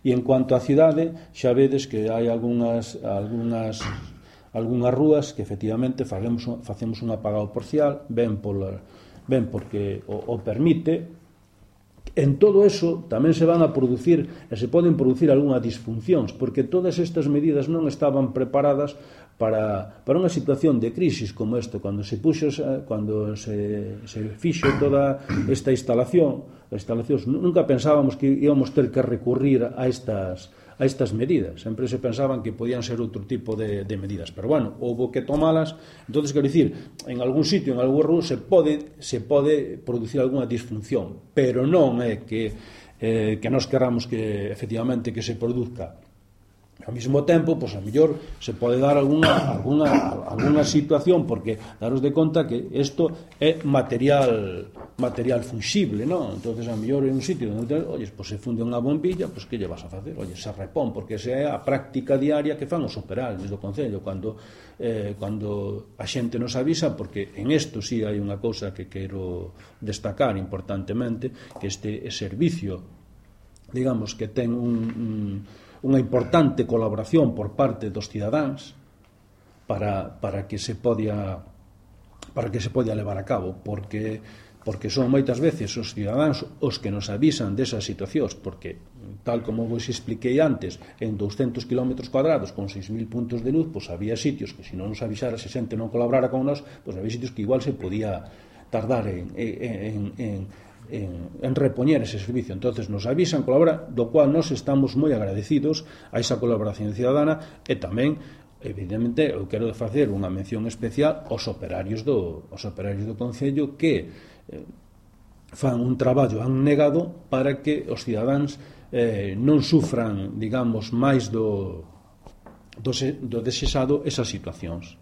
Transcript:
E en cuanto á cidade, xa vedes que hai algunhas rúas que efectivamente facemos un apagado parcial, ben porque o permite. En todo eso tamén se van a producir e se poden producir algunhas disfuncións, porque todas estas medidas non estaban preparadas para unha situación de crisis como esta. Cando se fixo toda esta instalacións, nunca pensábamos que íbamos ter que recurrir a estas medidas. Sempre se pensaban que podían ser outro tipo de medidas, pero bueno, houve que tomalas. Entonces, quero dicir, en algún sitio, en algún rúa se pode producir algunha disfunción, pero non é que nós queramos que efectivamente que se produzca. Ao mesmo tempo, pois a mellor se pode dar alguna situación, porque daros de conta que isto é material funxible, non? Entonces a mellor en un sitio onde, pois se funde unha bombilla, pois que lle vas a facer? Se repón, porque esa é a práctica diaria que fan os operarios do Concello cando a xente nos avisa, porque en isto sí hai unha cousa que quero destacar importantemente, que este servicio, digamos, que ten unha importante colaboración por parte dos cidadáns para que se podia levar a cabo, porque son moitas veces os cidadáns os que nos avisan desas situacións, porque tal como vos expliquei antes, en 200 km cuadrados con 6.000 puntos de luz, pois había sitios que se non nos avisara, se xente non colaborara con nós, pois había sitios que igual se podía tardar en repoñer ese servicio. Entonces nos avisan, colaboran, do cual nos estamos moi agradecidos a esa colaboración ciudadana. E tamén, evidentemente, eu quero facer unha mención especial aos operarios do Concello, que fan un traballo abnegado para que os cidadáns non sufran, digamos, máis do desexado esas situacións.